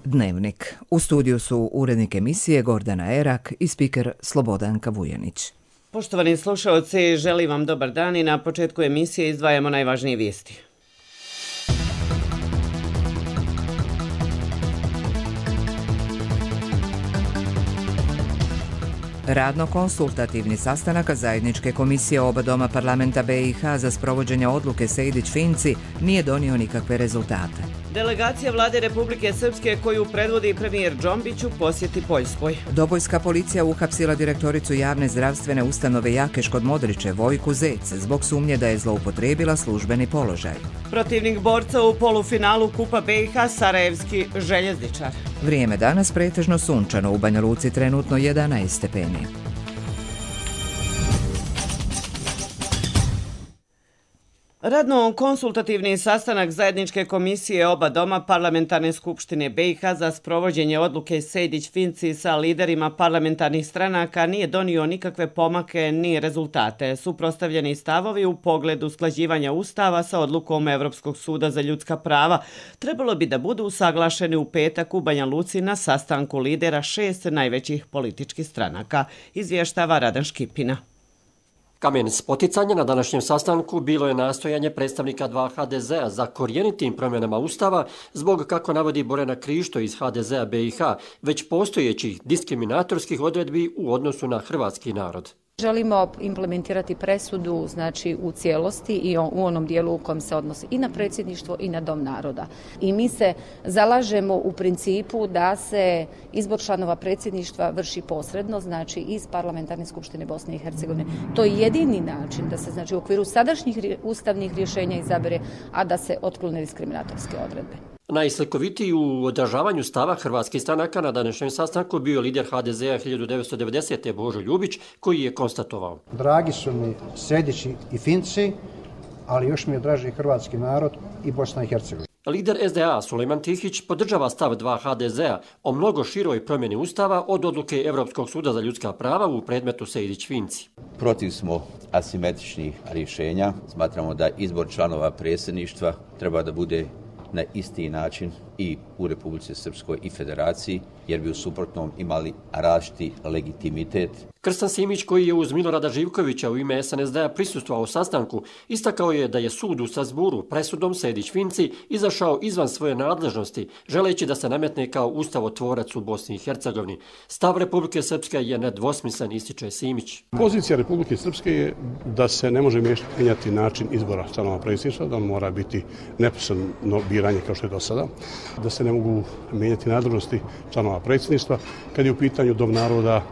Dnevnik. U studiju su urednik emisije Gordana Erak i spiker Slobodanka Vujanić. Poštovani slušaoci, želim vam dobar dan i na početku emisije izdvajamo najvažnije vijesti. Radno-konsultativni sastanak zajedničke komisije oba doma parlamenta BiH za sprovođenje odluke Sejdić-Finci nije donio nikakve rezultate. Delegacija vlade Republike Srpske koju predvodi premijer Džombić u posjeti Poljskoj. Dobojska policija uhapsila direktoricu javne zdravstvene ustanove Jakeš kod Modriče Vojku Zec zbog sumnje da je zloupotrijebila službeni položaj. Protivnik borca u polufinalu Kupa BiH Sarajevski željezničar. Vrijeme danas pretežno sunčano, u Banja Luci trenutno 11 stepeni. Radno-konsultativni sastanak zajedničke komisije oba doma parlamentarne skupštine BiH za sprovođenje odluke Sejdić-Finci sa liderima parlamentarnih stranaka nije donio nikakve pomake ni rezultate. Suprotstavljeni stavovi u pogledu usklađivanja Ustava sa odlukom Evropskog suda za ljudska prava trebalo bi da budu usaglašeni u petak u Banja Luci na sastanku lidera 6 najvećih političkih stranaka, izvještava Radan Škipina. Kamen spoticanja na današnjem sastanku bilo je nastojanje predstavnika dva HDZ-a za korjenitim promjenama Ustava zbog, kako navodi Borjana Krišto iz HDZ-a BiH, već postojećih diskriminatorskih odredbi u odnosu na hrvatski narod. Želimo implementirati presudu u cijelosti i u onom dijelu u kojem se odnosi i na predsjedništvo i na Dom naroda. I mi se zalažemo u principu da se izbor članova predsjedništva vrši posredno, iz Parlamentarne skupštine Bosne i Hercegovine. To je jedini način da se u okviru sadašnjih ustavnih rješenja izabere, a da se otklone diskriminatorske odredbe. Najslikovitiji u odražavanju stava hrvatskih stranaka na današnjem sastanku bio lider HDZ-a 1990. Božo Ljubić, koji je konstatovao: Dragi su mi Sejdići i Finci, ali još mi je draži hrvatski narod i Bosna i Hercegovina. Lider SDA Sulejman Tihić podržava stav dva HDZ-a o mnogo široj promjeni Ustava od odluke Evropskog suda za ljudska prava u predmetu Sejdić-Finci. Protiv smo asimetričnih rješenja. Smatramo da izbor članova predsjedništva treba da bude na isti način i u Republici Srpskoj i Federaciji, jer bi u suprotnom imali različiti legitimitet. Krstan Simić, koji je uz Milorada Živkovića u ime SNSD-a prisustvovao sastanku, istakao je da je sud u Strasburu presudom Sejdić-Finci izašao izvan svoje nadležnosti, želeći da se nametne kao ustavotvorac u Bosni i Hercegovini. Stav Republike Srpske je nedvosmislen, ističe Simić. Pozicija Republike Srpske je da se ne može mijenjati način izbora članova predsjedništva, da on mora biti neposredno biranje kao što je do sada, da se ne mogu mijenjati nadležnosti članova predsjedništva. Kad je u pitanju Dom naroda,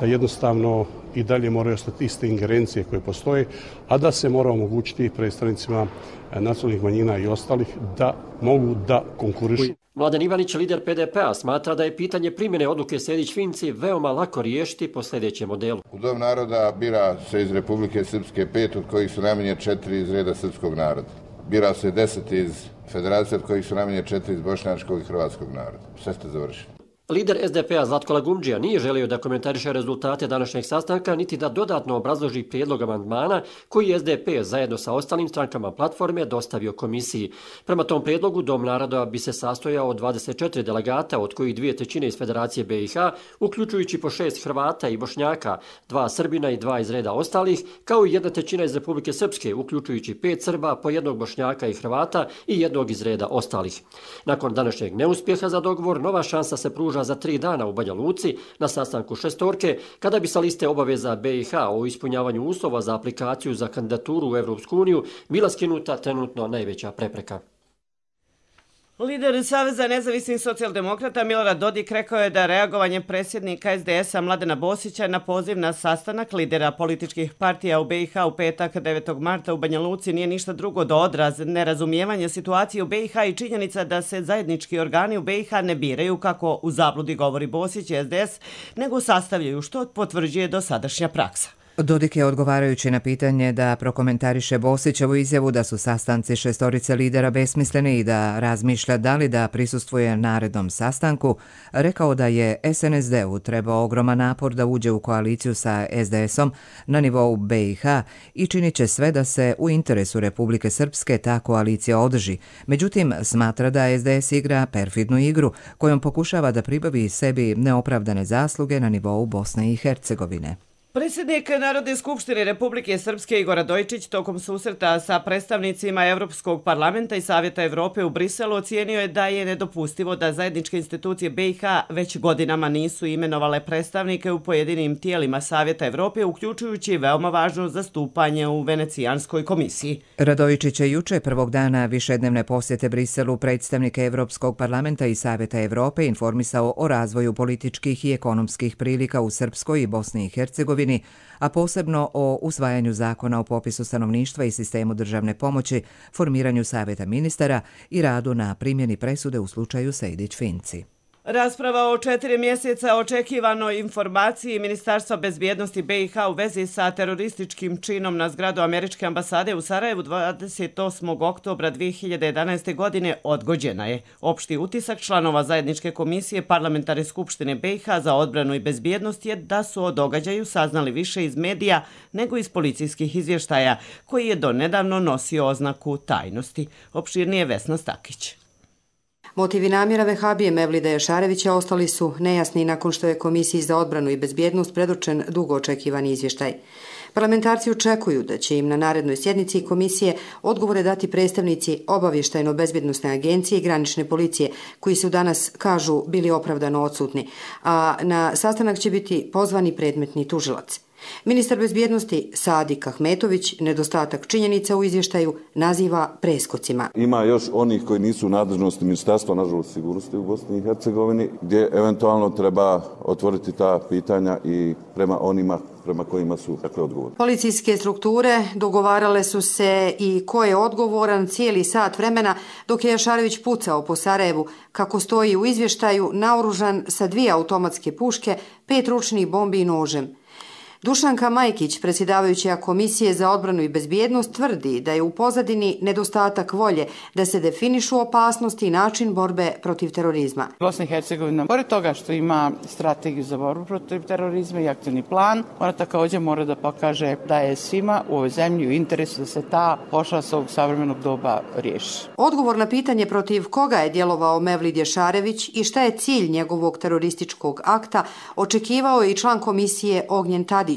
da jednostavno i dalje moraju ostati iste ingerencije koje postoje, a da se mora omogućiti predstavnicima nacionalnih manjina i ostalih da mogu da konkurišu. Mladen Ivanić, lider PDP-a, smatra da je pitanje primjene odluke Sejdić-Finci veoma lako riješiti po sljedećem modelu. U Dom naroda bira se iz Republike Srpske 5, od kojih su najmanje 4 iz reda srpskog naroda. Bira se 10 iz Federacije, od kojih su najmanje 4 iz bošnjačkog i hrvatskog naroda. Sve ste završili. Lider SDP-a Zlatko Lagumdžija nije želio da komentariše rezultate današnjeg sastanka niti da dodatno obrazloži prijedlog amandmana koji je SDP zajedno sa ostalim strankama platforme dostavio komisiji. Prema tom prijedlogu Dom naroda bi se sastojao od 24 delegata, od kojih 2/3 iz Federacije BiH, uključujući po 6 Hrvata i Bošnjaka, 2 Srbina i 2 iz reda ostalih, kao i 1/3 iz Republike Srpske, uključujući 5 Srba, po 1 Bošnjaka i Hrvata i 1 iz reda ostalih. Nakon današnjeg neuspjeha za dogovor, nova šansa se pruža za 3 dana u Banja Luci na sastanku šestorke, kada bi sa liste obaveza BiH o ispunjavanju uslova za aplikaciju za kandidaturu u Evropsku uniju bila skinuta trenutno najveća prepreka. Lider Saveza nezavisnih socijaldemokrata Milorad Dodik rekao je da reagovanje predsjednika SDS-a Mladena Bosića na poziv na sastanak lidera političkih partija u BiH u petak 9. marta u Banja Luci nije ništa drugo do odraz nerazumijevanja situacije u BiH i činjenica da se zajednički organi u BiH ne biraju, kako u zabludi govori Bosić i SDS, nego sastavljaju, što potvrđuje dosadašnja praksa. Dodik je odgovarajući na pitanje da prokomentariše Bosićevu izjavu da su sastanci šestorice lidera besmisleni i da razmišlja da li da prisustvuje narednom sastanku, rekao da je SNSD-u trebao ogroman napor da uđe u koaliciju sa SDS-om na nivou BiH i činit će sve da se u interesu Republike Srpske ta koalicija održi. Međutim, smatra da SDS igra perfidnu igru kojom pokušava da pribavi sebi neopravdane zasluge na nivou Bosne i Hercegovine. Predsjednik Narodne skupštine Republike Srpske Igor Radojičić tokom susreta sa predstavnicima Evropskog parlamenta i Savjeta Evrope u Briselu ocijenio je da je nedopustivo da zajedničke institucije BiH već godinama nisu imenovale predstavnike u pojedinim tijelima Savjeta Evrope, uključujući veoma važno zastupanje u Venecijanskoj komisiji. Radojičić je juče prvog dana višednevne posjete Briselu predstavnike Evropskog parlamenta i Savjeta Evrope informisao o razvoju političkih i ekonomskih prilika u Srpskoj i Bosni i Hercegovini, a posebno o usvajanju zakona o popisu stanovništva i sistemu državne pomoći, formiranju savjeta ministara i radu na primjeni presude u slučaju Sejdić-Finci. Rasprava o 4 mjeseca očekivanoj informaciji Ministarstva bezbjednosti BiH u vezi sa terorističkim činom na zgradu Američke ambasade u Sarajevu 28. oktobra 2011. godine odgođena je. Opšti utisak članova Zajedničke komisije Parlamentarne skupštine BiH za odbranu i bezbjednost je da su o događaju saznali više iz medija nego iz policijskih izvještaja, koji je donedavno nosio oznaku tajnosti. Opširnije Vesna Stakić. Motivi namjera vehabije Mevlida Jašarevića ostali su nejasni nakon što je Komisiji za odbranu i bezbjednost predočen dugo očekivani izvještaj. Parlamentarci očekuju da će im na narednoj sjednici komisije odgovore dati predstavnici Obavještajno-bezbjednosne agencije i granične policije, koji su danas, kažu, bili opravdano odsutni, a na sastanak će biti pozvani predmetni tužilac. Ministar bezbjednosti Sadik Ahmetović nedostatak činjenica u izvještaju naziva preskocima. Ima još onih koji nisu u nadležnosti Ministarstva nažalost sigurnosti u Bosni i Hercegovini, gdje eventualno treba otvoriti ta pitanja i prema onima prema kojima su takve odgovorne. Policijske strukture dogovarale su se i ko je odgovoran cijeli sat vremena dok je Jašarević pucao po Sarajevu, kako stoji u izvještaju, naoružan sa 2 automatske puške, 5 ručnih bombi i nožem. Dušanka Majkić, predsjedavajuća Komisije za odbranu i bezbjednost, tvrdi da je u pozadini nedostatak volje da se definišu opasnosti i način borbe protiv terorizma. Bosna i Hercegovina, pored toga što ima strategiju za borbu protiv terorizma i aktivni plan, ona također mora da pokaže da je svima u ovoj zemlji u interesu da se ta pošast ovog savremenog doba riješi. Odgovor na pitanje protiv koga je djelovao Mevlid Jašarević i šta je cilj njegovog terorističkog akta, očekivao je i član komisije Ognjen Tadić,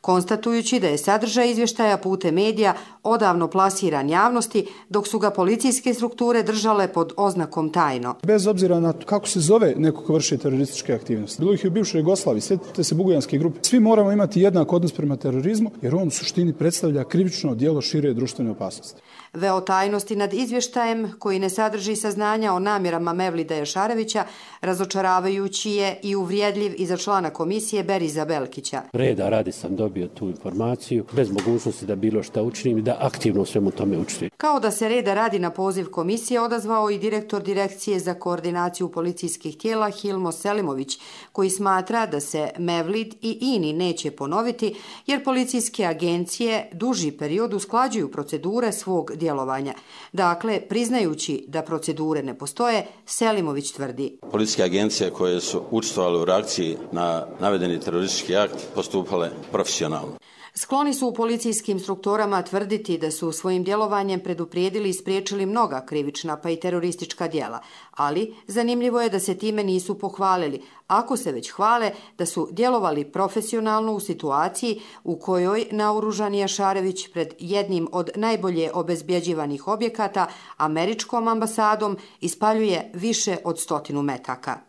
konstatujući da je sadržaj izvještaja putem medija odavno plasiran javnosti, dok su ga policijske strukture držale pod oznakom tajno. Bez obzira na to kako se zove neko ko vrši terorističke aktivnosti, bilo ih je u bivšoj Jugoslaviji, sjetite se bugojanske grupe, svi moramo imati jednak odnos prema terorizmu, jer on u suštini predstavlja krivično djelo šire društvene opasnosti. Veo tajnosti nad izvještajem, koji ne sadrži saznanja o namjerama Mevlida Jašarevića, razočaravajući je i uvrijedljiv i za člana komisije Beriza Belkića. Reda radi sam dobio tu informaciju, bez mogućnosti da bilo šta učinim i da aktivno svemu tome učestvujem. Kao da se reda radi na poziv komisije odazvao i direktor Direkcije za koordinaciju policijskih tijela Hilmo Selimović, koji smatra da se Mevlid i INI neće ponoviti, jer policijske agencije duži period usklađuju procedure svog djelovanja. Dakle, priznajući da procedure ne postoje, Selimović tvrdi. Policijske agencije koje su učestvovale u reakciji na navedeni teroristički akt postupale profesionalno. Skloni su u policijskim strukturama tvrditi da su svojim djelovanjem preduprijedili i spriječili mnoga krivična pa i teroristička djela, ali zanimljivo je da se time nisu pohvalili, ako se već hvale da su djelovali profesionalno u situaciji u kojoj naoružani Jašarević pred jednim od najbolje obezbjeđivanih objekata, Američkom ambasadom, ispaljuje više od 100 metaka.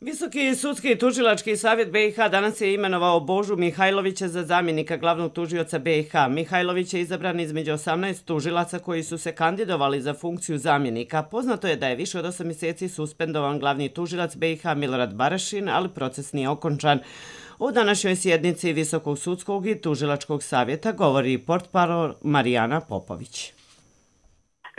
Visoki sudski i tužilački savjet BiH danas je imenovao Božu Mihajlovića za zamjenika glavnog tužioca BiH. Mihajlović je izabran između 18 tužilaca koji su se kandidovali za funkciju zamjenika. Poznato je da je više od 8 mjeseci suspendovan glavni tužilac BiH Milorad Barašin, ali proces nije okončan. U današnjoj sjednici Visokog sudskog i tužilačkog savjeta govori portparol Marijana Popović.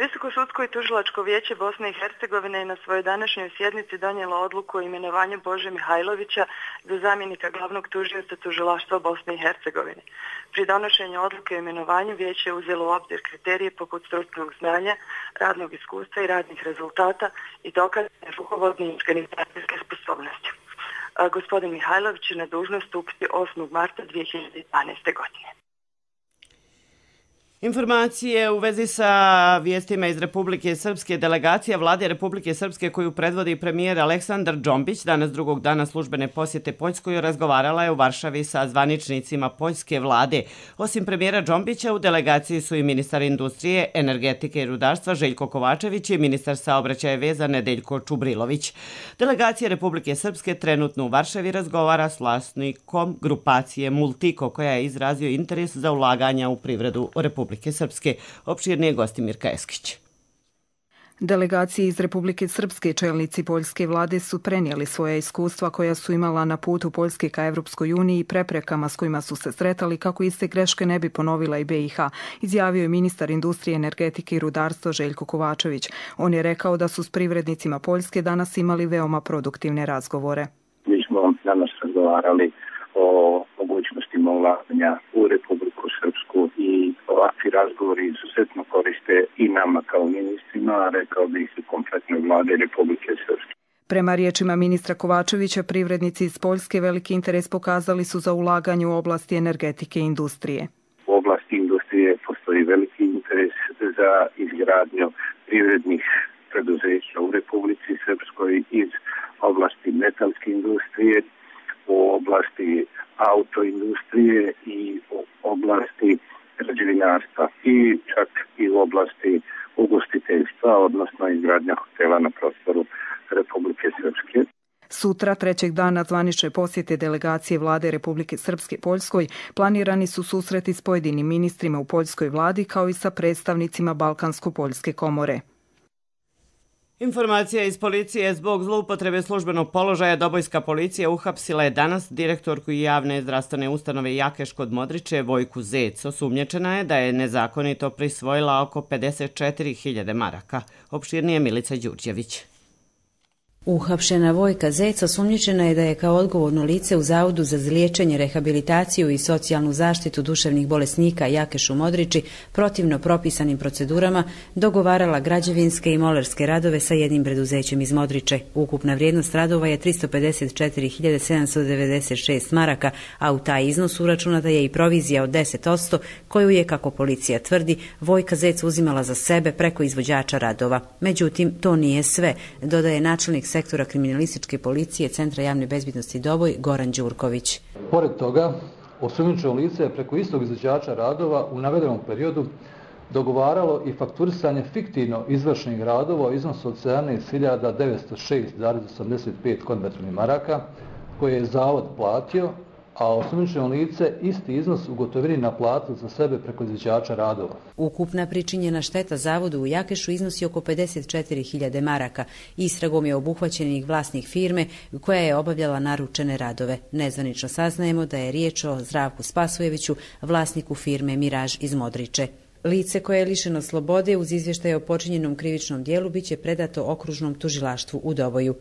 Visoko sudsko i tužilačko vijeće Bosne i Hercegovine je na svojoj današnjoj sjednici donijelo odluku o imenovanju Bože Mihajlovića za zamjenika glavnog tužioca tužilaštva Bosne i Hercegovine. Pri donošenju odluke o imenovanju vijeće je uzelo u obzir kriterije poput stručnog znanja, radnog iskustva i radnih rezultata i dokazane rukovodne i organizacijske sposobnosti. Gospodin Mihajlović će na dužnost stupiti 8. marta 2012. godine. Informacije u vezi sa vijestima iz Republike Srpske. Delegacija vlade Republike Srpske koju predvodi premijer Aleksandar Džombić danas drugog dana službene posjete Poljskoj razgovarala je u Varšavi sa zvaničnicima poljske vlade. Osim premijera Džombića u delegaciji su i ministar industrije, energetike i rudarstva Željko Kovačević i ministar saobraćaja i veza Nedeljko Čubrilović. Delegacija Republike Srpske trenutno u Varšavi razgovara s vlasnikom grupacije Multiko koja je izrazio interes za ulaganja u privredu Republike Srpske. Opširnije Gostimir Kajeskić. Delegaciji iz Republike Srpske čelnici poljske vlade su prenijeli svoja iskustva koja su imala na putu Poljske ka Evropskoj uniji i preprekama s kojima su se sretali kako iste greške ne bi ponovila i BiH, izjavio je ministar industrije, energetike i rudarstva Željko Kovačević. On je rekao da su s privrednicima Poljske danas imali veoma produktivne razgovore. Mi smo danas razgovarali o mogućnostima ulaganja u Republiku Srpsku i ovakvi razgovori izuzetno koriste i nama kao ministrima, a rekao bih i kompletnoj vlade Republike Srpske. Prema riječima ministra Kovačevića, privrednici iz Poljske veliki interes pokazali su za ulaganje u oblasti energetike i industrije. U oblasti industrije postoji veliki interes za izgradnju privrednih preduzeća u Republici Srpskoj iz oblasti metalske industrije, u oblasti autoindustrije i u oblasti građevinarstva i čak i u oblasti ugostiteljstva, odnosno izgradnja hotela na prostoru Republike Srpske. Sutra, trećeg dana zvanične posjete delegacije vlade Republike Srpske Poljskoj, planirani su susreti s pojedinim ministrima u poljskoj vladi kao i sa predstavnicima Balkansko-poljske komore. Informacija iz policije: zbog zloupotrebe službenog položaja Dobojska policija uhapsila je danas direktorku javne zdravstvene ustanove Jakeš kod Modriče Vojku Zec. Osumnjičena je da je nezakonito prisvojila oko 54.000 maraka. Opširnije Milica Đurđević. Uhapšena Vojka Zec osumnjičena je da je kao odgovorno lice u Zavodu za liječenje, rehabilitaciju i socijalnu zaštitu duševnih bolesnika Jakeš u Modriči protivno propisanim procedurama dogovarala građevinske i molerske radove sa jednim preduzećem iz Modriče. Ukupna vrijednost radova je 354.796 maraka, a u taj iznos uračunata je i provizija od 10%, koju je, kako policija tvrdi, Vojka Zec uzimala za sebe preko izvođača radova. Međutim, to nije sve, dodaje načelnik sektora kriminalističke policije Centra javne bezbednosti Doboj Goran Đurković. Pored toga, osumnjičeno lice je preko istog izvođača radova u navedenom periodu dogovaralo i fakturisanje fiktivno izvršenih radova u iznosu od 17.906,85 konvertnih maraka koje je Zavod platio, a osumnjičeno lice isti iznos u gotovini naplatilo za sebe preko izvođača radova. Ukupna pričinjena šteta Zavodu u Jakešu iznosi oko 54.000 maraka. Istragom je obuhvaćen vlasnik firme koja je obavljala naručene radove. Nezvanično saznajemo da je riječ o Zdravku Spasojeviću, vlasniku firme Miraž iz Modriče. Lice koje je lišeno slobode uz izvještaj o počinjenom krivičnom dijelu biće predato okružnom tužilaštvu u Doboju.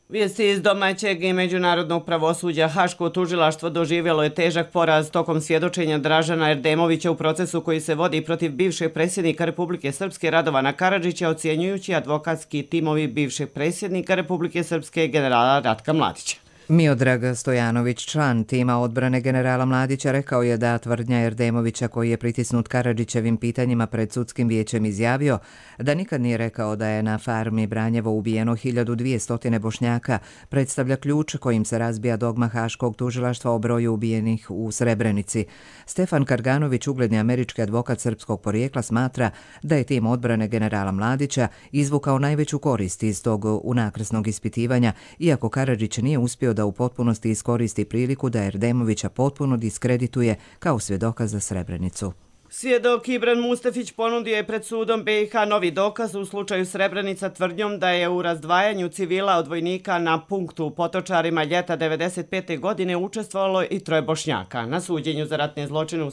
Vijesti iz domaćeg i međunarodnog pravosuđa. Haško tužilaštvo doživjelo je težak poraz tokom svjedočenja Dražana Erdemovića u procesu koji se vodi protiv bivšeg predsjednika Republike Srpske Radovana Karadžića, ocjenjujući advokatski timovi bivšeg predsjednika Republike Srpske generala Ratka Mladića. Miodrag Stojanović, član tima odbrane generala Mladića, rekao je da tvrdnja Erdemovića, koji je pritisnut Karadžićevim pitanjima pred sudskim vijećem, izjavio da nikad nije rekao da je na farmi Branjevo ubijeno 1200 Bošnjaka, predstavlja ključ kojim se razbija dogma Haškog tužilaštva o broju ubijenih u Srebrenici. Stefan Karganović, ugledni američki advokat srpskog porijekla, smatra da je tim odbrane generala Mladića izvukao najveću korist iz tog unakrsnog ispitivanja, iako Karadžić nije uspio da u potpunosti iskoristi priliku da Erdemovića potpuno diskredituje kao svjedoka za Srebrenicu. Svjedok Ibran Mustafić ponudio je pred sudom BiH novi dokaz u slučaju Srebrenica tvrdnjom da je u razdvajanju civila od vojnika na punktu u Potočarima ljeta 1995. godine učestvovalo i 3 Bošnjaka. Na suđenju za ratne zločine u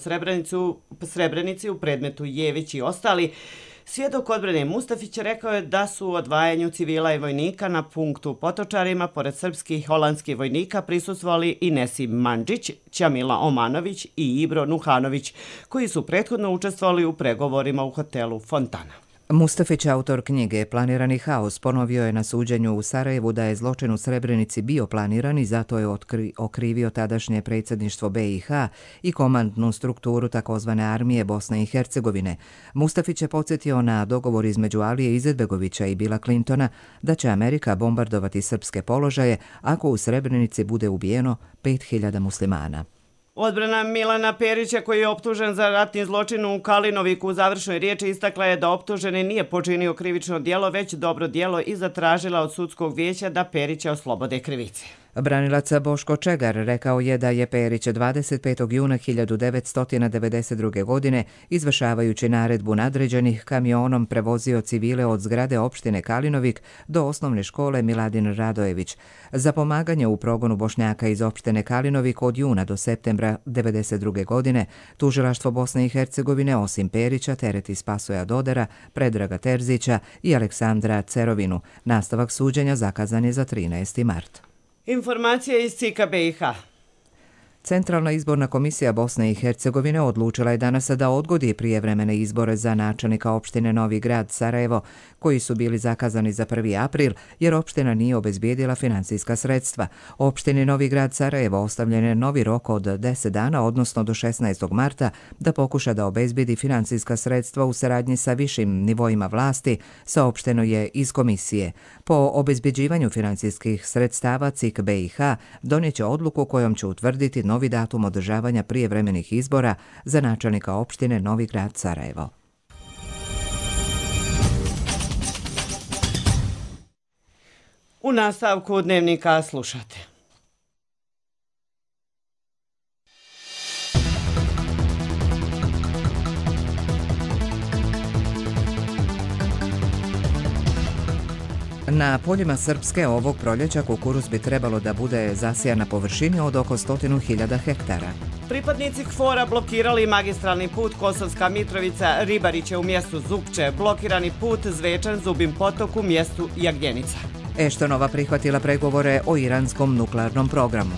Srebrenici u predmetu Jević i ostali, svjedok odbrane Mustafić rekao je da su u odvajanju civila i vojnika na punktu u Potočarima pored srpskih i holandskih vojnika prisustvovali i Nesim Mandžić, Ćamila Omanović i Ibro Nuhanović, koji su prethodno učestvovali u pregovorima u hotelu Fontana. Mustafić, autor knjige Planirani haos, ponovio je na suđenju u Sarajevu da je zločin u Srebrenici bio planiran i zato je okrivio tadašnje predsjedništvo BiH i komandnu strukturu takozvane armije Bosne i Hercegovine. Mustafić je podsjetio na dogovor između Alije Izetbegovića i Billa Clintona da će Amerika bombardovati srpske položaje ako u Srebrenici bude ubijeno 5000 muslimana. Odbrana Milana Perića, koji je optužen za ratni zločin u Kalinoviku, u završnoj riječi istakla je da optuženi nije počinio krivično djelo, već dobro djelo i zatražila od sudskog vijeća da Perića oslobode krivice. Branilac Boško Čegar rekao je da je Perić 25. juna 1992. godine, izvršavajući naredbu nadređenih, kamionom prevozio civile od zgrade opštine Kalinovik do osnovne škole Miladin Radojević. Za pomaganje u progonu Bošnjaka iz opštine Kalinovik od juna do septembra 1992. godine, tužilaštvo Bosne i Hercegovine osim Perića tereti Spasoja Dodera, Predraga Terzića i Aleksandra Cerovinu. Nastavak suđenja zakazan je za 13. mart. Informacija iz CIK-a BiH. Centralna izborna komisija Bosne i Hercegovine odlučila je danas da odgodi prijevremene izbore za načelnika opštine Novi Grad Sarajevo, koji su bili zakazani za 1. april, jer opština nije obezbijedila financijska sredstva. Opštini Novi Grad Sarajevo ostavljen je novi rok od 10 dana, odnosno do 16. marta, da pokuša da obezbijedi financijska sredstva u saradnji sa višim nivoima vlasti, saopšteno je iz komisije. Po obezbjeđivanju financijskih sredstava CIK BiH donijet će odluku kojom će utvrditi novi datum održavanja prijevremenih izbora za načelnika opštine Novi Grad Sarajevo. U nastavku dnevnika slušate. Na poljima Srpske ovog proljeća kukuruz bi trebalo da bude zasijan na površini od oko 100.000 hektara. Pripadnici KFOR-a blokirali magistralni put Kosovska Mitrovica Ribariće u mjestu Zupče, blokirani put Zvečan Zubin potok u mjestu Jagljenica. Eštonova prihvatila pregovore o iranskom nuklearnom programu.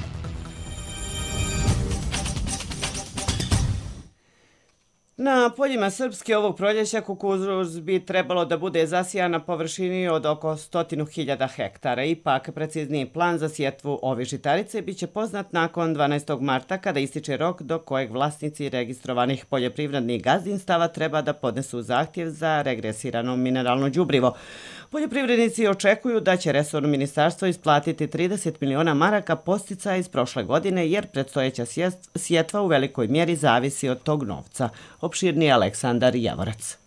Na poljima Srpske ovog proljeća kukuruz bi trebalo da bude zasijan na površini od oko 100.000 hektara. Ipak, precizniji plan za sjetvu ove žitarice biće poznat nakon 12. marta, kada ističe rok do kojeg vlasnici registrovanih poljoprivrednih gazdinstava treba da podnesu zahtjev za regresirano mineralno đubrivo. Poljoprivrednici očekuju da će resorno ministarstvo isplatiti 30 miliona maraka podsticaja iz prošle godine, jer predstojeća sjetva u velikoj mjeri zavisi od tog novca. Opširni Aleksandar Javorac.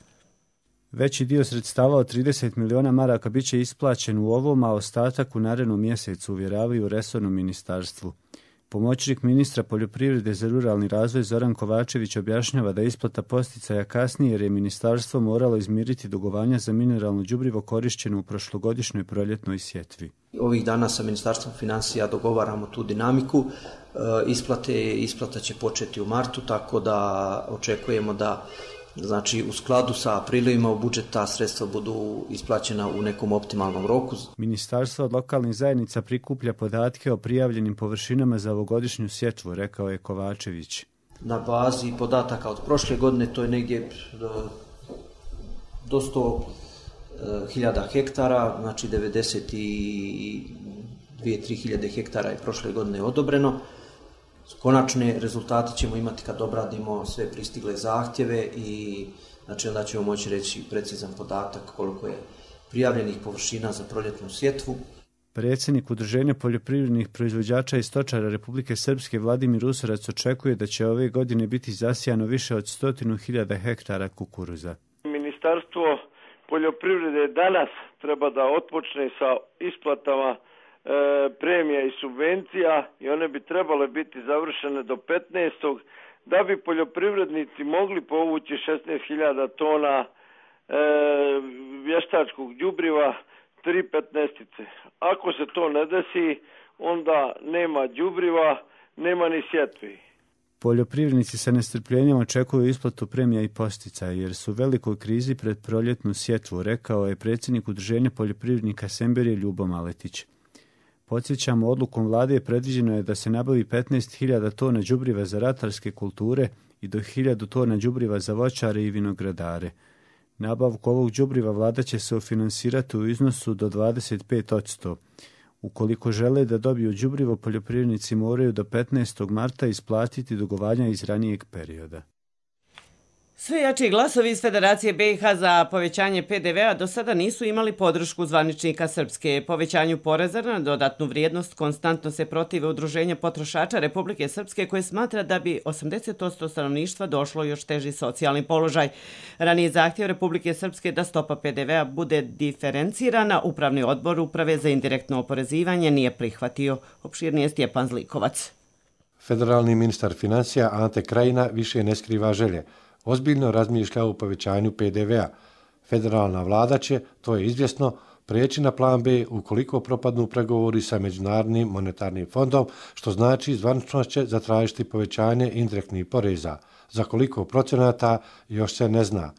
Veći dio sredstava od 30 miliona maraka bit će isplaćen u ovom, a ostatak u narednom mjesecu, uvjeravaju u resornom ministarstvu. Pomoćnik ministra poljoprivrede za ruralni razvoj Zoran Kovačević objašnjava da isplata podsticaja kasnije jer je ministarstvo moralo izmiriti dugovanja za mineralno đubrivo korišćeno u prošlogodišnjoj proljetnoj sjetvi. Ovih dana sa Ministarstvom financija dogovaramo tu dinamiku. Isplata će početi u martu, tako da očekujemo da u skladu sa prilivima u budžet ta sredstva budu isplaćena u nekom optimalnom roku. Ministarstvo od lokalnih zajednica prikuplja podatke o prijavljenim površinama za ovogodišnju sjetvu, rekao je Kovačević. Na bazi podataka od prošle godine to je negdje do 100.000 hektara, znači 92-3.000 hektara je prošle godine odobreno. Konačne rezultate ćemo imati kad obradimo sve pristigle zahtjeve i onda ćemo moći reći precizan podatak koliko je prijavljenih površina za proljetnu sjetvu. Predsjednik Udruženja poljoprivrednih proizvođača i stočara Republike Srpske Vladimir Usorac očekuje da će ove godine biti zasijano više od 100.000 hektara kukuruza. Ministarstvo poljoprivrede danas treba da otpočne sa isplatama premija i subvencija i one bi trebale biti završene do 15. da bi poljoprivrednici mogli povući 16.000 tona vještačkog đubriva 3/15. Ako se to ne desi, onda nema đubriva, nema ni sjetvi. Poljoprivrednici sa nestrpljenjem očekuju isplatu premija i posticaja jer su u velikoj krizi pred proljetnu sjetvu, rekao je predsjednik Udruženja poljoprivrednika Semberije Ljubo Maletić. Podsjećamo, odlukom vlade predviđeno je da se nabavi 15.000 tona đubriva za ratarske kulture i do 1.000 tona đubriva za voćare i vinogradare. Nabavku ovog đubriva vlada će se ufinansirati u iznosu do 25%. Ukoliko žele da dobiju đubrivo, poljoprivrednici moraju do 15. marta isplatiti dugovanja iz ranijeg perioda. Sve jači glasovi iz Federacije BiH za povećanje PDV-a do sada nisu imali podršku zvaničnika Srpske. Povećanju poreza na dodatnu vrijednost konstantno se protive Udruženja potrošača Republike Srpske koje smatra da bi 80% stanovništva došlo još teži socijalni položaj. Ranije zahtjev Republike Srpske da stopa PDV-a bude diferencirana, Upravni odbor Uprave za indirektno oporezivanje nije prihvatio. Opširnije Stjepan Zlikovac. Federalni ministar financija Ante Krajina više ne skriva želje. Ozbiljno razmišlja o povećanju PDV-a. Federalna vlada će, to je izvjesno, prijeći na plan B ukoliko propadnu pregovori sa Međunarodnim monetarnim fondom, što znači zvanično će zatražiti povećanje indirektnih poreza. Za koliko procenata još se ne zna.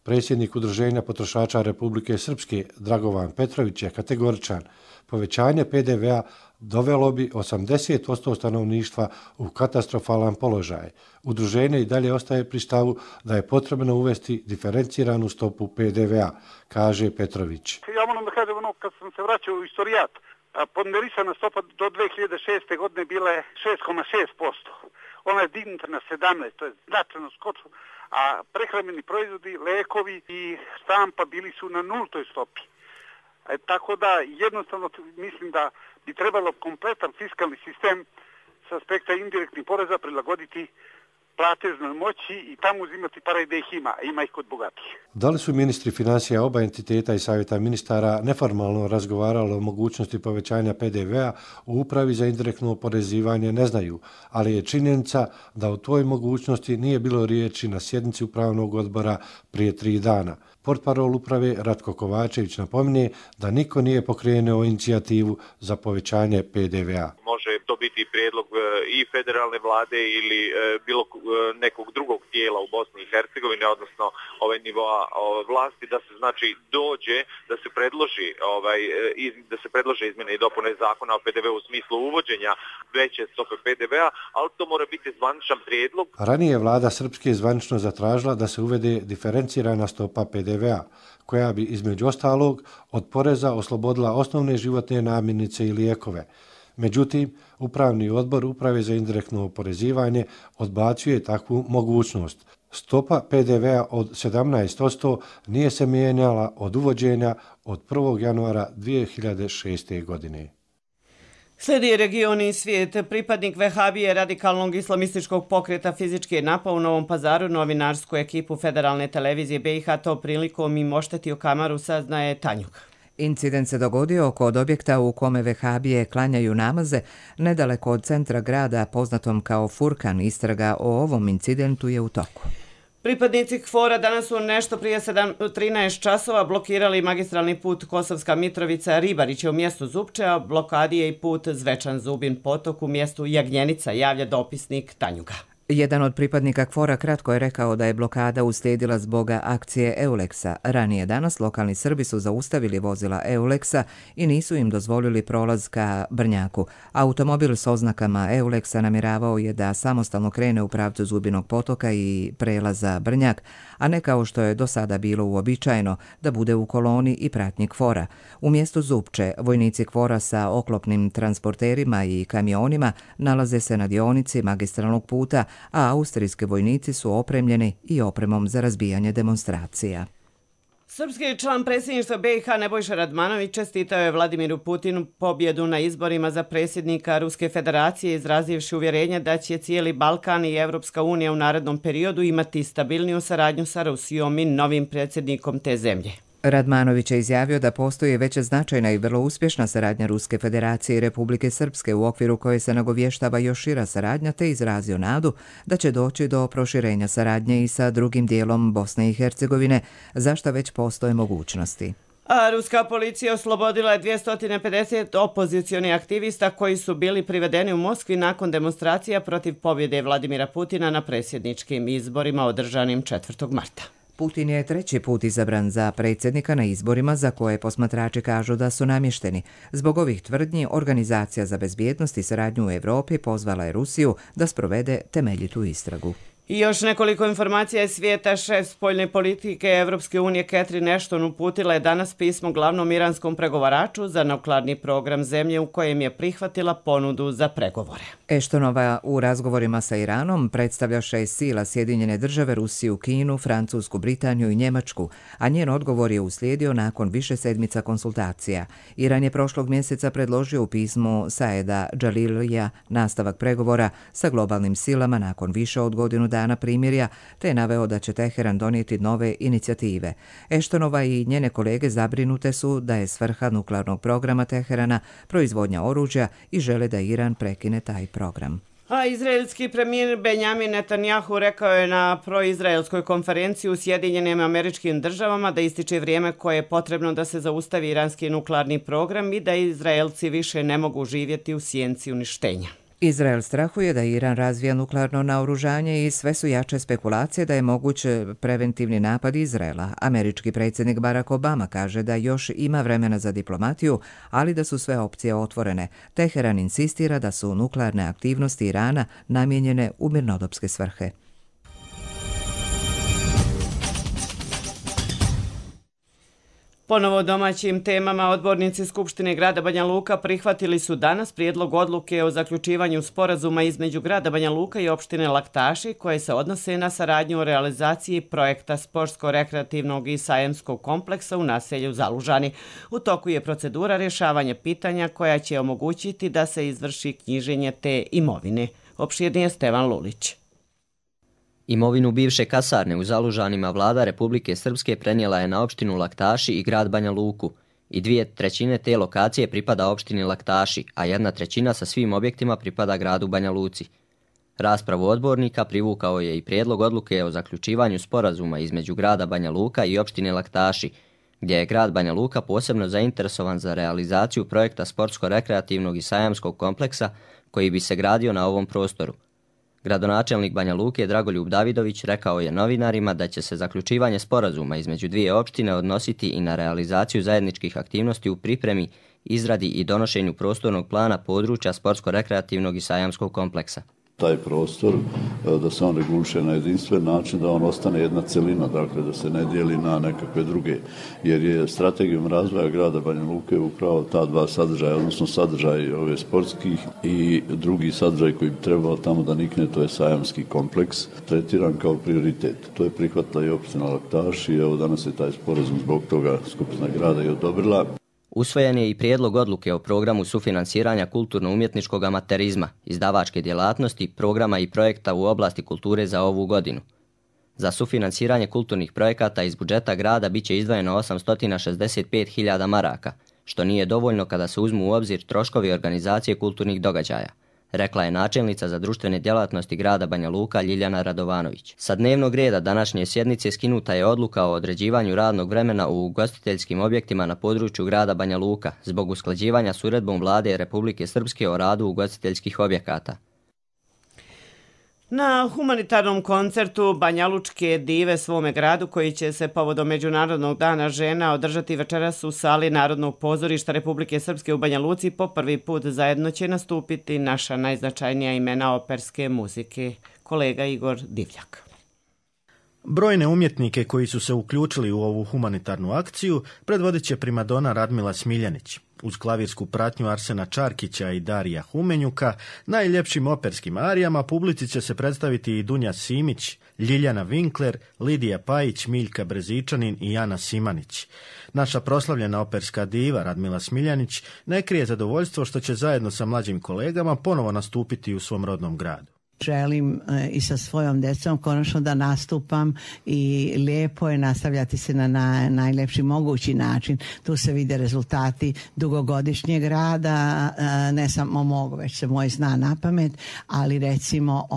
Predsjednik Udruženja potrošača Republike Srpske Dragovan Petrović je kategoričan. Povećanje PDV-a dovelo bi 80% stanovništva u katastrofalan položaj. Udruženje i dalje ostaje pri stavu da je potrebno uvesti diferenciranu stopu PDV-a, kaže Petrović. Ja moram da kažem, kad sam se vraćao u istorijat, ponderisana stopa do 2006. godine bila je 6,6%. Ona je dignuta na 17%, to je značajno skočilo, a prehrambeni proizvodi, lekovi i štampa bili su na 0 stopi. Tako da jednostavno mislim da bi trebalo kompletan fiskalni sistem s aspekta indirektnih poreza prilagoditi platežnoj moći i tamo uzimati pare gdje ih ima, a ima ih kod bogatih. Da li su ministri financija oba entiteta i savjeta ministara neformalno razgovarali o mogućnosti povećanja PDV-a u Upravi za indirektno oporezivanje ne znaju, ali je činjenica da o toj mogućnosti nije bilo riječi na sjednici Upravnog odbora prije 3 dana. Portparol uprave Ratko Kovačević napominje da niko nije pokrenuo inicijativu za povećanje PDV-a. Može to biti prijedlog i federalne vlade ili bilo nekog drugog tijela u Bosni i Hercegovini, odnosno nivoa vlasti, da se znači dođe da se predlože izmjene i dopune zakona o PDV u smislu uvođenja veće stope PDV-a, ali to mora biti zvaničan prijedlog. Ranije vlada Srpske zvanično zatražila da se uvede diferencirana stopa PDV-a, koja bi između ostalog od poreza oslobodila osnovne životne namirnice i lijekove. Međutim, Upravni odbor Uprave za indirektno oporezivanje odbacuje takvu mogućnost. Stopa PDV-a od 17% nije se mijenjala od uvođenja od 1. januara 2006. godine. Slijedi region i svijet. Pripadnik Vehabije radikalnog islamističkog pokreta fizički je napao u Novom Pazaru novinarsku ekipu Federalne televizije BiH, to prilikom im oštetio kamaru, saznaje Tanjuk. Incident se dogodio kod objekta u kome vehabije klanjaju namaze, nedaleko od centra grada poznatom kao Furkan. Istraga o ovom incidentu je u toku. Pripadnici KFOR-a danas su nešto prije 13 časova blokirali magistralni put Kosovska Mitrovica-Ribariće u mjestu Zupče, a blokadi je i put Zvečan-Zubin potok u mjestu Jagnjenica, javlja dopisnik Tanjuga. Jedan od pripadnika KFOR-a kratko je rekao da je blokada uslijedila zbog akcije Euleksa. Ranije danas lokalni Srbi su zaustavili vozila Euleksa i nisu im dozvolili prolaz ka Brnjaku. Automobil s oznakama Euleksa namjeravao je da samostalno krene u pravcu Zubinog potoka i prelaza Brnjak, a ne kao što je do sada bilo uobičajeno da bude u koloni i pratnji KFOR-a. U mjestu Zupče vojnici KFOR-a sa oklopnim transporterima i kamionima nalaze se na dionici magistralnog puta, a austrijski vojnici su opremljeni i opremom za razbijanje demonstracija. Srpski član predsjedništva BiH Nebojša Radmanović čestitao je Vladimiru Putinu pobjedu na izborima za predsjednika Ruske federacije, izrazivši uvjerenje da će cijeli Balkan i Evropska unija u narednom periodu imati stabilniju saradnju sa Rusijom i novim predsjednikom te zemlje. Radmanović je izjavio da postoji već značajna i vrlo uspješna saradnja Ruske federacije i Republike Srpske u okviru koje se nagovještava još šira saradnja, te izrazio nadu da će doći do proširenja saradnje i sa drugim dijelom Bosne i Hercegovine, za što već postoje mogućnosti. A ruska policija oslobodila je 250 opozicionih aktivista koji su bili privedeni u Moskvi nakon demonstracija protiv pobjede Vladimira Putina na predsjedničkim izborima održanim 4. marta. Putin je 3. put izabran za predsjednika na izborima za koje posmatrači kažu da su namješteni. Zbog ovih tvrdnji, Organizacija za bezbjednost i saradnju u Europi pozvala je Rusiju da sprovede temeljitu istragu. I još nekoliko informacija iz svijeta. Šef spoljne politike Evropske unije Catherine Ashton uputila je danas pismo glavnom iranskom pregovaraču za nuklearni program zemlje u kojem je prihvatila ponudu za pregovore. Ashtonova u razgovorima sa Iranom predstavlja 6 sila Sjedinjene države, Rusiju, Kinu, Francusku, Britaniju i Njemačku, a njen odgovor je uslijedio nakon više sedmica konsultacija. Iran je prošlog mjeseca predložio u pismu Saeda Džalilija nastavak pregovora sa globalnim silama nakon više od godinu dana primirja, te je naveo da će Teheran donijeti nove inicijative. Ashtonova i njene kolege zabrinute su da je svrha nuklearnog programa Teherana proizvodnja oružja i žele da Iran prekine taj program. A izraelski premijer Benjamin Netanjahu rekao je na proizraelskoj konferenciji u Sjedinjenim Američkim Državama da ističe vrijeme koje je potrebno da se zaustavi iranski nuklearni program i da Izraelci više ne mogu živjeti u sjenci uništenja. Izrael strahuje da Iran razvija nuklearno naoružanje i sve su jače spekulacije da je moguć preventivni napad Izraela. Američki predsjednik Barack Obama kaže da još ima vremena za diplomatiju, ali da su sve opcije otvorene. Teheran insistira da su nuklearne aktivnosti Irana namijenjene u mirnodopske svrhe. Ponovo o domaćim temama, odbornici Skupštine grada Banja Luka prihvatili su danas prijedlog odluke o zaključivanju sporazuma između grada Banja Luka i opštine Laktaši koje se odnose na saradnju o realizaciji projekta sportsko-rekreativnog i sajamskog kompleksa u naselju Zalužani. U toku je procedura rješavanja pitanja koja će omogućiti da se izvrši knjiženje te imovine. Opširnije Stevan Lulić. Imovinu bivše kasarne u Zalužanima vlada Republike Srpske prenijela je na opštinu Laktaši i grad Banja Luku i 2/3 te lokacije pripada opštini Laktaši, a 1/3 sa svim objektima pripada gradu Banja Luci. Raspravu odbornika privukao je i prijedlog odluke o zaključivanju sporazuma između grada Banja Luka i opštine Laktaši, gdje je grad Banja Luka posebno zainteresovan za realizaciju projekta sportsko-rekreativnog i sajamskog kompleksa koji bi se gradio na ovom prostoru. Gradonačelnik Banja Luke Dragoljub Davidović rekao je novinarima da će se zaključivanje sporazuma između dvije opštine odnositi i na realizaciju zajedničkih aktivnosti u pripremi, izradi i donošenju prostornog plana područja sportsko-rekreativnog i sajamskog kompleksa. Taj prostor, da se on reguliše na jedinstven način, da on ostane jedna celina, dakle da se ne dijeli na nekakve druge, jer je strategijom razvoja grada Banja Luke upravo ta dva sadržaja, odnosno sadržaj ove sportskih i drugi sadržaj koji bi trebao tamo da nikne, to je sajamski kompleks, tretiran kao prioritet. To je prihvatila i opština Laktaši i evo danas je taj sporazum zbog toga Skupština grada i odobrila. Usvojen je i prijedlog odluke o programu sufinansiranja kulturno-umjetničkog amaterizma, izdavačke djelatnosti, programa i projekta u oblasti kulture za ovu godinu. Za sufinansiranje kulturnih projekata iz budžeta grada bit će izdvojeno 865.000 maraka, što nije dovoljno kada se uzmu u obzir troškovi organizacije kulturnih događaja, rekla je načelnica za društvene djelatnosti grada Banja Luka Ljiljana Radovanović. Sa dnevnog reda današnje sjednice skinuta je odluka o određivanju radnog vremena u ugostiteljskim objektima na području grada Banja Luka zbog usklađivanja s uredbom vlade Republike Srpske o radu ugostiteljskih objekata. Na humanitarnom koncertu Banjalučke dive svome gradu, koji će se povodom Međunarodnog dana žena održati večeras u sali Narodnog pozorišta Republike Srpske u Banja Luci, po prvi put zajedno će nastupiti naša najznačajnija imena operske muzike. Kolega Igor Divljak. Brojne umjetnike koji su se uključili u ovu humanitarnu akciju predvodit će primadona Radmila Smiljanić. Uz klavirsku pratnju Arsena Čarkića i Darija Humenjuka, najljepšim operskim arijama publici će se predstaviti i Dunja Simić, Ljiljana Winkler, Lidija Pajić, Miljka Brezičanin i Jana Simanić. Naša proslavljena operska diva Radmila Smiljanić ne krije zadovoljstvo što će zajedno sa mlađim kolegama ponovo nastupiti u svom rodnom gradu. Želim i sa svojom decom konačno da nastupam i lijepo je nastavljati se na najlepši mogući način. Tu se vide rezultati dugogodišnjeg rada, ne samo mog, već se moj zna na pamet, ali recimo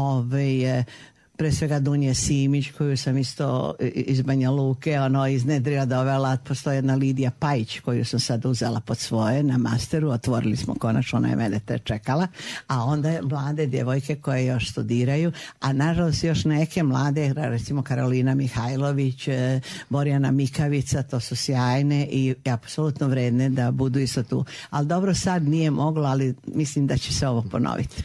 pre svega Dunje Simić, koju sam isto iz Banja Luke iznedrila, dovela. Postoji jedna Lidija Pajić koju sam sad uzela pod svoje na masteru, otvorili smo konačno, ona je mene te čekala, a onda je mlade djevojke koje još studiraju, a nažalost još neke mlade, recimo Karolina Mihajlović, Borjana Mikavica, to su sjajne i apsolutno vredne da budu isto tu. Ali dobro, sad nije moglo, ali mislim da će se ovo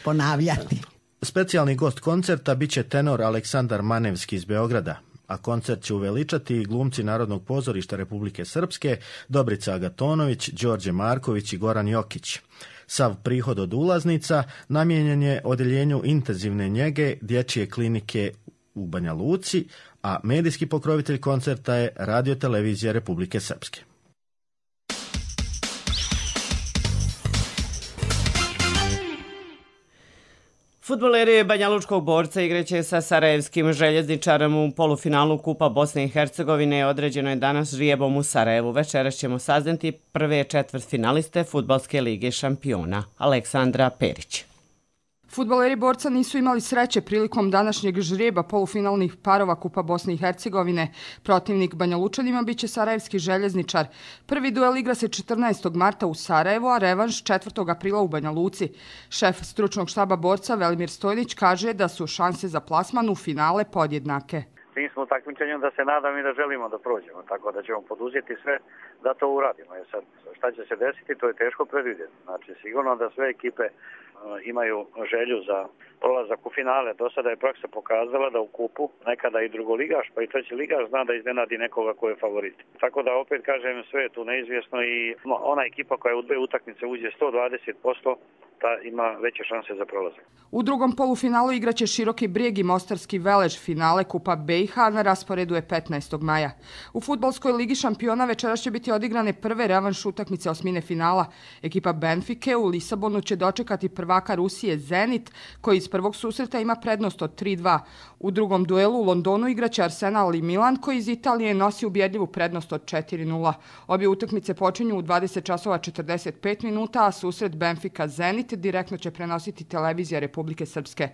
ponavljati. Specijalni gost koncerta bit će tenor Aleksandar Manevski iz Beograda, a koncert će uveličati i glumci Narodnog pozorišta Republike Srpske, Dobrica Agatonović, Đorđe Marković i Goran Jokić. Sav prihod od ulaznica namijenjen je odjeljenju intenzivne njege Dječje klinike u Banja Luci, a medijski pokrovitelj koncerta je Radio-televizija Republike Srpske. Fudbaleri Banjalučkog Borca igraće sa sarajevskim željezničarom u polufinalu Kupa Bosne i Hercegovine. Određeno je danas žrijebom u Sarajevu. Večeras ćemo saznati prve četvrtfinaliste Fudbalske lige šampiona. Aleksandra Perić. Fudbaleri Borca nisu imali sreće prilikom današnjeg žrijeba polufinalnih parova Kupa Bosne i Hercegovine. Protivnik Banjalučanima biće sarajevski željezničar. Prvi duel igra se 14. marta u Sarajevu, a revanš 4. aprila u Banja Luci. Šef stručnog štaba Borca Velimir Stojnić kaže da su šanse za plasman u finale podjednake. Mi smo u takmičenju da se nadam i da želimo da prođemo, tako da ćemo poduzeti sve da to uradimo. Sad, šta će se desiti, to je teško predvidjeti. Znači, sigurno da sve ekipe imaju želju za prolazak u finale. Do sada je praksa pokazala da u kupu nekada i drugoligaš, pa i treći ligaš zna da iznenadi nekoga ko je favorit. Tako da opet kažem, sve je tu neizvjesno i ona ekipa koja u dve utakmice uđe 120%, ta ima veće šanse za prolazak. U drugom polufinalu igraće Široki Brijeg i Mostarski Velež. Finale Kupa BiH na rasporedu je 15. maja. U Fudbalskoj ligi šampiona večeras će biti odigrane prve revanš utakmice osmine finala. Ekipa Benfike u Lisabonu će dočekati prvaka Rusije Zenit, koji iz prvog susreta ima prednost od 3-2. U drugom duelu u Londonu igraće Arsenal i Milan, koji iz Italije nosi ubjedljivu prednost od 4-0. Obje utakmice počinju u 20:45, a susret Benfika Zenit direktno će prenositi televizija Republike Srpske.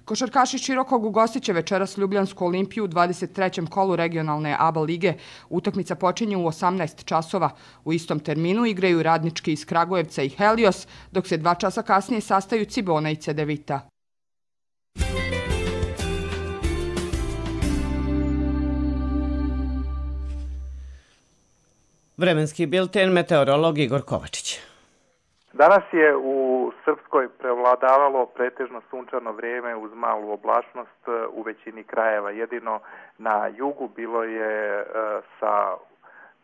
Košarkaši Širokog ugostit će večeras Ljubljansku Olimpiju u 23. kolu regionalne ABA lige. Utakmica počinje u 18 časova. U istom terminu igraju Radnički iz Kragujevca i Helios, dok se 2 časa kasnije sastaju Cibona i Cedevita. Vremenski bilten, meteorolog Igor Kovačić. Danas je u Srpskoj prevladavalo pretežno sunčano vrijeme uz malu oblačnost u većini krajeva. Jedino na jugu bilo je sa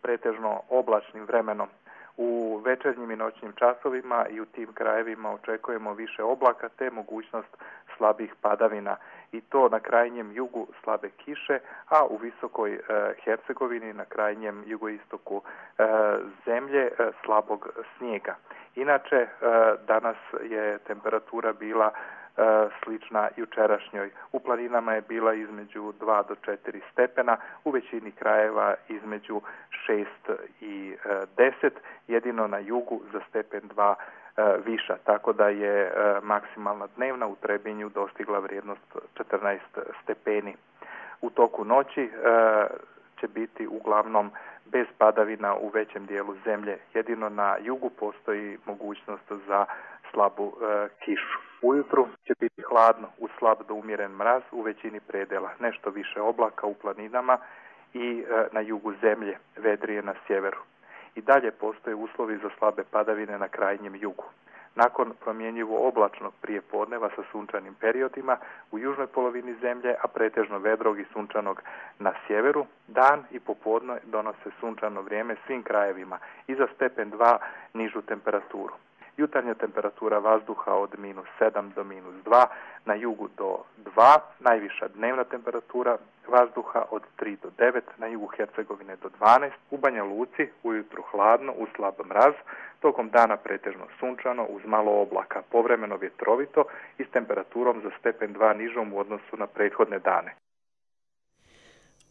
pretežno oblačnim vremenom. U večernjim i noćnim časovima i u tim krajevima očekujemo više oblaka te mogućnost slabih padavina. I to na krajnjem jugu slabe kiše, a u visokoj Hercegovini na krajnjem jugoistoku zemlje slabog snijega. Inače, danas je temperatura bila slična jučerašnjoj. U planinama je bila između 2 do 4 stepena, u većini krajeva između 6 i 10, jedino na jugu za stepen 2 viša, tako da je maksimalna dnevna u Trebinju dostigla vrijednost 14 stepeni. U toku noći će biti uglavnom bez padavina u većem dijelu zemlje. Jedino na jugu postoji mogućnost za slabu kišu. Ujutru će biti hladno uz slab do umjeren mraz u većini predela. Nešto više oblaka u planinama i na jugu zemlje, vedrije na sjeveru. I dalje postoje uslovi za slabe padavine na krajnjem jugu. Nakon promjenjivo oblačnog prijepodneva sa sunčanim periodima u južnoj polovini zemlje, a pretežno vedrog i sunčanog na sjeveru, dan i popodne donose sunčano vrijeme svim krajevima i za stepen 2 nižu temperaturu. jutarnja temperatura vazduha od -7 do -2, na jugu do 2, najviša dnevna temperatura vazduha od 3 do 9, na jugu Hercegovine do 12, u Banja Luci ujutru hladno uz slab mraz, tokom dana pretežno sunčano uz malo oblaka, povremeno vjetrovito i s temperaturom za stepen 2 nižom u odnosu na prethodne dane.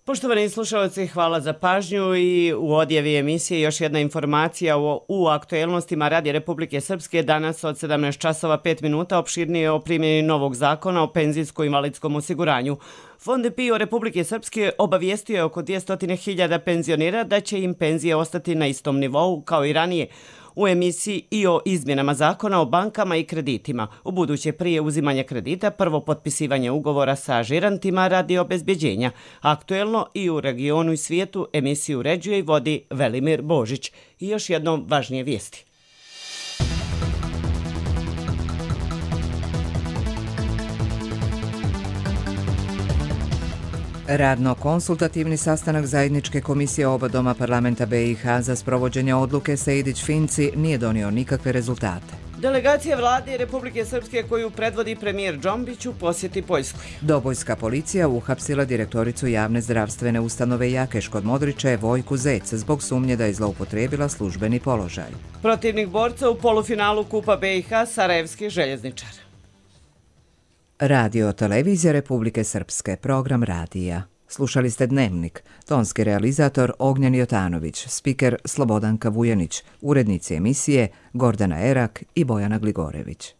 Poštovani slušalci, hvala za pažnju i u odjevi emisije još jedna informacija u aktuelnostima Radija Republike Srpske danas od 17 časova 5 minuta opširnije o primjeni novog zakona o penzijsko-invalidskom osiguranju. Fond PIO Republike Srpske obavijestio je oko 200.000 penzionera da će im penzije ostati na istom nivou kao i ranije. U emisiji i o izmjenama zakona o bankama i kreditima. U buduće prije uzimanja kredita prvo potpisivanje ugovora sa žirantima radi obezbjeđenja. Aktuelno i u regionu i svijetu emisiju uređuje i vodi Velimir Božić. I još jednom važnije vijesti. Radno-konsultativni sastanak zajedničke komisije oba doma parlamenta BiH za sprovođenje odluke Sejdić-Finci nije donio nikakve rezultate. Delegacija vlade Republike Srpske koju predvodi premijer Džombić u posjeti Poljskoj. Dobojska policija uhapsila direktoricu javne zdravstvene ustanove Jakeš kod Modriče Vojku Zec zbog sumnje da je zloupotrijebila službeni položaj. Protivnik borca u polufinalu Kupa BiH Sarajevski željezničar. Radio televizija Republike Srpske, program radija. Slušali ste Dnevnik, tonski realizator Ognjen Jotanović, spiker Slobodanka Vujanić, urednici emisije Gordana Erak i Bojana Gligorević.